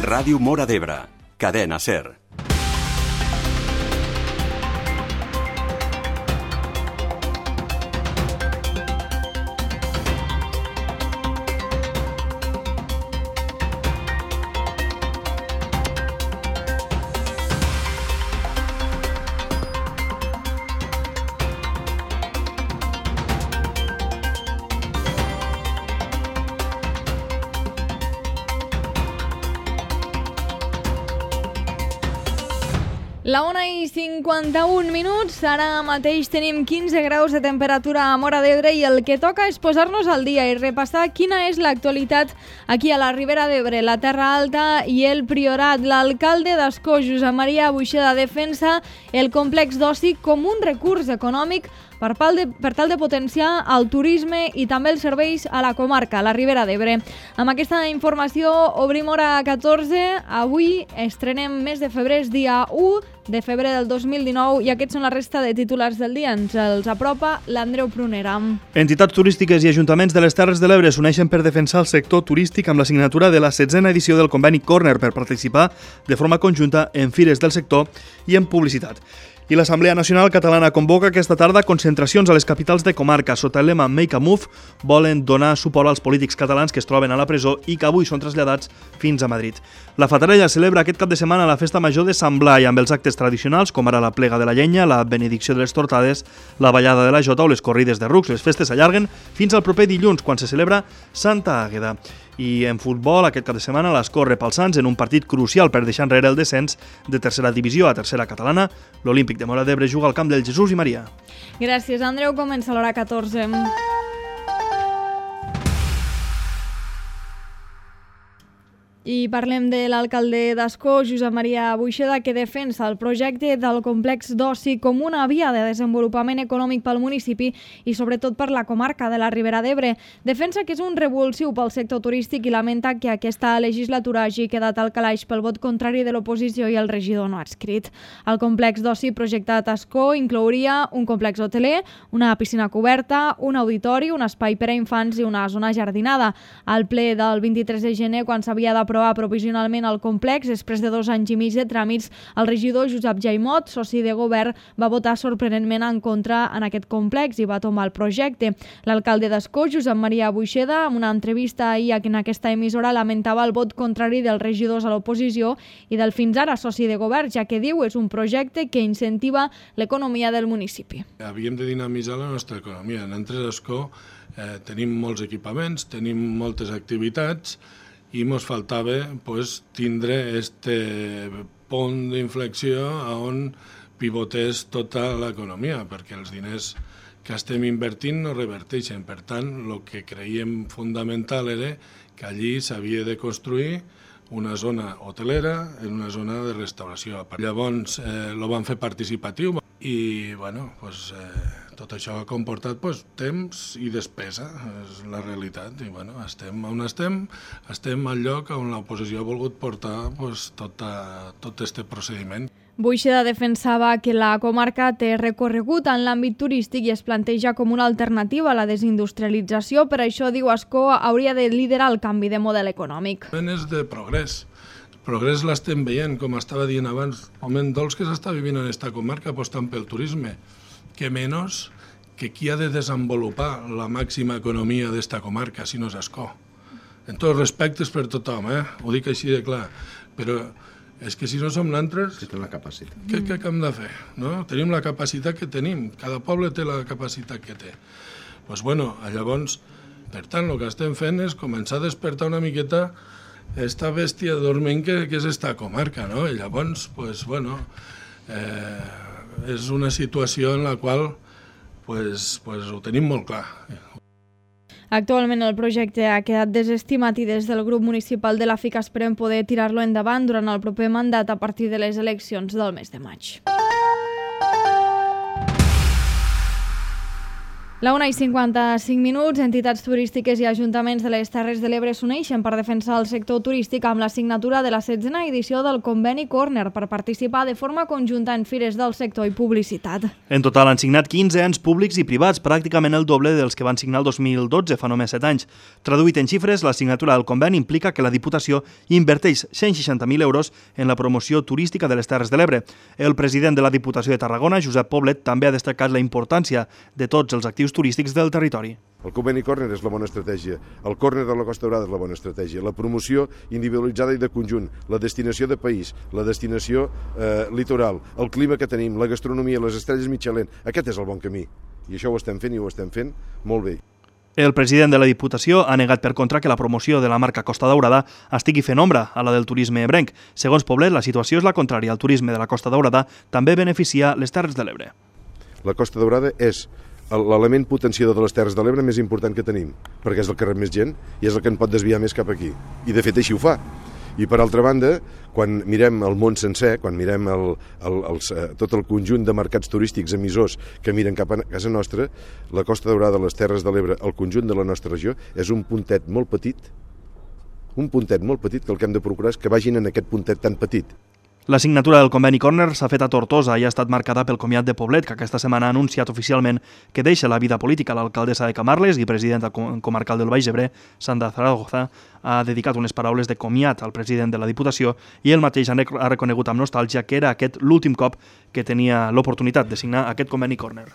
Ràdio Móra d'Ebre, Cadena SER. La 1:51, ara mateix tenim 15 graus de temperatura a Móra d'Ebre i el que toca és posar-nos al dia i repassar quina és l'actualitat aquí a la Ribera d'Ebre, la Terra Alta i el Priorat. L'alcalde d'Ascó, Josep Maria Buixeda, defensa el complex d'oci com un recurs econòmic per tal de potenciar el turisme i també els serveis a la comarca, a la Ribera d'Ebre. Amb aquesta informació obrim hora 14. Avui estrenem mes de febrer, és dia 1 de febrer del 2019 i aquests són la resta de titulars del dia. Ens els apropa l'Andreu Prunera. Entitats turístiques i ajuntaments de les Terres de l'Ebre s'uneixen per defensar el sector turístic amb la signatura de la 16a edició del conveni Corner per participar de forma conjunta en fires del sector i en publicitat. I l'Assemblea Nacional Catalana convoca aquesta tarda concentracions a les capitals de comarca. Sota el lema Make a Move volen donar suport als polítics catalans que es troben a la presó i que avui són traslladats fins a Madrid. La Fatarella celebra aquest cap de setmana la festa major de Sant Blai amb els actes tradicionals com ara la plega de la llenya, la benedicció de les tortades, la ballada de la jota o les corrides de rucs. Les festes s'allarguen fins al proper dilluns quan se celebra Santa Àgueda. I en futbol, aquest cap de setmana, l'Ascó rep els Sants en un partit crucial per deixar enrere el descens de tercera divisió a tercera catalana. L'Olímpic de Móra d'Ebre juga al camp del Jesús i Maria. Gràcies, Andreu. Comença l'hora 14. I parlem de l'alcalde d'Ascó, Josep Maria Buixeda, que defensa el projecte del complex d'oci com una via de desenvolupament econòmic pel municipi i sobretot per la comarca de la Ribera d'Ebre. Defensa que és un revulsiu pel sector turístic i lamenta que aquesta legislatura hagi quedat al calaix pel vot contrari de l'oposició i el regidor no adscrit. El complex d'oci projectat a Ascó inclouria un complex hoteler, una piscina coberta, un auditori, un espai per a infants i una zona jardinada. Al ple del 23 de gener, quan s'havia d'aprovar provisionalment el complex, després de 2 anys i mig de tràmits, el regidor Josep Jaimot, soci de govern, va votar sorprenentment en contra en aquest complex i va tombar el projecte. L'alcalde d'Ascó, Josep Maria Buixeda, en una entrevista ahir en aquesta emissora, lamentava el vot contrari dels regidors a l'oposició i del fins ara soci de govern, ja que diu és un projecte que incentiva l'economia del municipi. Havíem de dinamitzar la nostra economia. Nosaltres a Ascó tenim molts equipaments, tenim moltes activitats i ens faltava tindre este punt d'inflexió on pivotés tota l'economia, perquè els diners que estem invertint no reverteixen. Per tant, el que creiem fonamental era que allí s'havia de construir una zona hotelera en una zona de restauració. Llavors ho van fer participatiu i tot això ha comportat temps i despesa, és la realitat. I estem on estem al lloc on l'oposició ha volgut portar tot aquest procediment. Buixeda defensava que la comarca té recorregut en l'àmbit turístic i es planteja com una alternativa a la desindustrialització. Per això, diu, Ascó hauria de liderar el canvi de model econòmic. És de progrés. El progrés l'estem veient, com estava dient abans. El moment dolç que s'està vivint en aquesta comarca apostant pel turisme, que menys que qui ha de desenvolupar la màxima economia d'esta comarca, si no és Ascó. En tots respectes per tothom, ho dic així de clar, però és que si no som nosaltres, què hem de fer? No? Tenim la capacitat que tenim, cada poble té la capacitat que té. Llavors, per tant, el que estem fent és començar a despertar una miqueta esta bèstia dorment que és esta comarca, no? I llavors, és una situació en la qual ho tenim molt clar. Actualment el projecte ha quedat desestimat i des del grup municipal de la FIC esperem poder tirar-lo endavant durant el proper mandat a partir de les eleccions del mes de maig. La 1:55, entitats turístiques i ajuntaments de les Terres de l'Ebre s'uneixen per defensar el sector turístic amb la signatura de la 16a edició del conveni Corner per participar de forma conjunta en fires del sector i publicitat. En total han signat 15 ens públics i privats, pràcticament el doble dels que van signar el 2012, fa només 7 anys. Traduït en xifres, la signatura del conveni implica que la Diputació inverteix 160.000 euros en la promoció turística de les Terres de l'Ebre. El president de la Diputació de Tarragona, Josep Poblet, també ha destacat la importància de tots els actius turístics del territori. El conveni Corner és la bona estratègia, el Corner de la Costa Daurada és la bona estratègia, la promoció individualitzada i de conjunt, la destinació de país, la destinació litoral, el clima que tenim, la gastronomia, les estrelles Michelin, aquest és el bon camí. I això ho estem fent i ho estem fent molt bé. El president de la Diputació ha negat per contra que la promoció de la marca Costa Daurada estigui fent ombra a la del turisme ebrenc. Segons Poblet, la situació és la contrària. El turisme de la Costa Daurada també beneficia les Terres de l'Ebre. La Costa Daurada és l'element potenciador de les Terres de l'Ebre més important que tenim, perquè és el que rep més gent i és el que en pot desviar més cap aquí. I de fet així ho fa. I per altra banda, quan mirem el món sencer, quan mirem tot el conjunt de mercats turístics emissors que miren cap a casa nostra, la Costa Daurada, les Terres de l'Ebre, el conjunt de la nostra regió, és un puntet molt petit que el que hem de procurar és que vagin en aquest puntet tan petit. La signatura del conveni Corner s'ha fet a Tortosa i ha estat marcada pel comiat de Poblet, que aquesta setmana ha anunciat oficialment que deixa la vida política. L'alcaldessa de Camarles i presidenta comarcal del Baix Ebre, Sandra Zaragoza, ha dedicat unes paraules de comiat al president de la Diputació i ell mateix ha reconegut amb nostàlgia que era aquest l'últim cop que tenia l'oportunitat de signar aquest conveni Corner.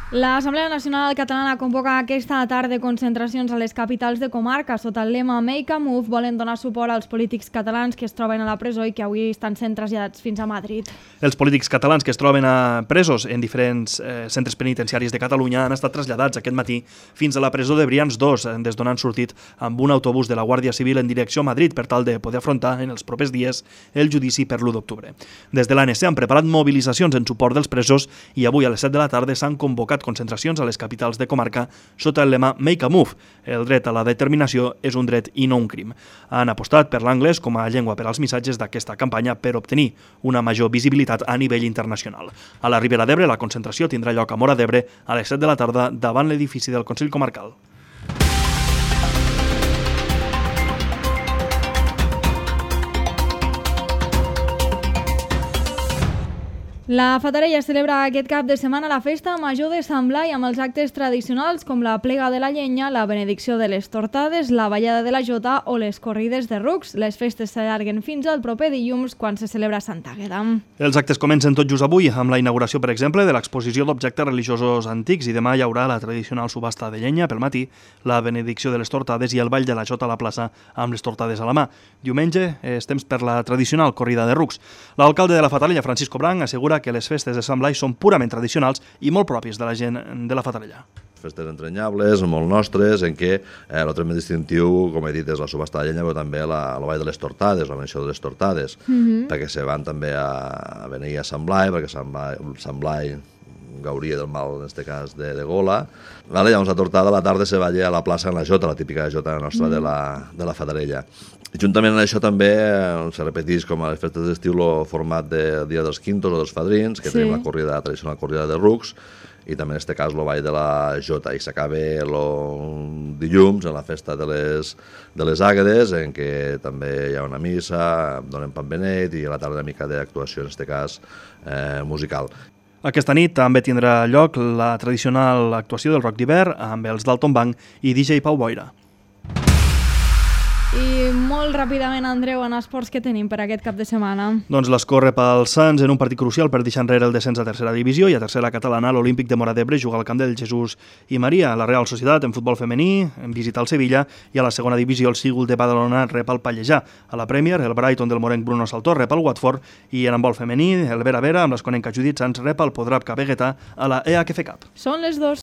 L'Assemblea Nacional Catalana convoca aquesta tarda concentracions a les capitals de comarca. Sota el lema Make a Move volen donar suport als polítics catalans que es troben a la presó i que avui estan sent traslladats fins a Madrid. Els polítics catalans que es troben presos en diferents centres penitenciaris de Catalunya han estat traslladats aquest matí fins a la presó de Brians 2, des d'on han sortit amb un autobús de la Guàrdia Civil en direcció a Madrid per tal de poder afrontar en els propers dies el judici per l'1 d'octubre. Des de l'ANC han preparat mobilitzacions en suport dels presos i avui a les 7 de la tarda s'han convocat concentracions a les capitals de comarca sota el lema Make a Move. El dret a la determinació és un dret i no un crim. Han apostat per l'anglès com a llengua per als missatges d'aquesta campanya per obtenir una major visibilitat a nivell internacional. A la Ribera d'Ebre, la concentració tindrà lloc a Móra d'Ebre a les 7 de la tarda davant l'edifici del Consell Comarcal. La Fatarella celebra aquest cap de setmana la festa major de Sant Blai amb els actes tradicionals com la plega de la llenya, la benedicció de les tortades, la ballada de la jota o les corrides de rucs. Les festes s'allarguen fins al proper dilluns quan se celebra Sant Àgueda. Els actes comencen tot just avui amb la inauguració, per exemple, de l'exposició d'objectes religiosos antics i demà hi haurà la tradicional subhasta de llenya pel matí, la benedicció de les tortades i el ball de la jota a la plaça amb les tortades a la mà. Diumenge és temps per la tradicional corrida de rucs. L'alcalde de la Fatarella, Francisco Branc, assegura que les festes de Sant Blai són purament tradicionals i molt pròpies de la gent de la Fatarella. Festes entranyables, molt nostres, en què el tret més distintiu, com he dit, és la subhasta de llenya, però també el ball de les tortades, la menció de les tortades, perquè se van també a venir a Sant Blai, perquè Sant Blai gauria del mal, en aquest cas, de gola. Vale, llavors la tortada a la tarda se balla a la plaça en la jota, la típica jota nostra de la Fatarella. I juntament amb això també se repeteix com a les festes d'estiu el format de Dia dels Quintos o dels Fadrins, que tenim la tradicional corrida de rucs, i també en aquest cas el ball de la jota, i s'acaba el dilluns en la festa de les Àguedes, en què també hi ha una missa, donem pan benet i a la tarda una mica d'actuació, en aquest cas musical. Aquesta nit també tindrà lloc la tradicional actuació del rock d'hivern amb els Dalton Bank i DJ Pau Boira. I molt ràpidament, Andreu, en esports que tenim per aquest cap de setmana. Doncs l'escorre pel Sants en un partit crucial per deixar enrere el descens a tercera divisió i a tercera catalana l'Olímpic de Móra d'Ebre juga al camp del Jesús i Maria. La Real Societat en futbol femení visita el Sevilla i a la segona divisió el Sigul de Badalona rep el Pallejà. A la Premier el Brighton del morenc Bruno Saltor rep el Watford i en handbol femení el Vera Vera amb l'esconenca Judit Sanz rep el Podrap Cabeguetà a la EHF Cup. Són les 2.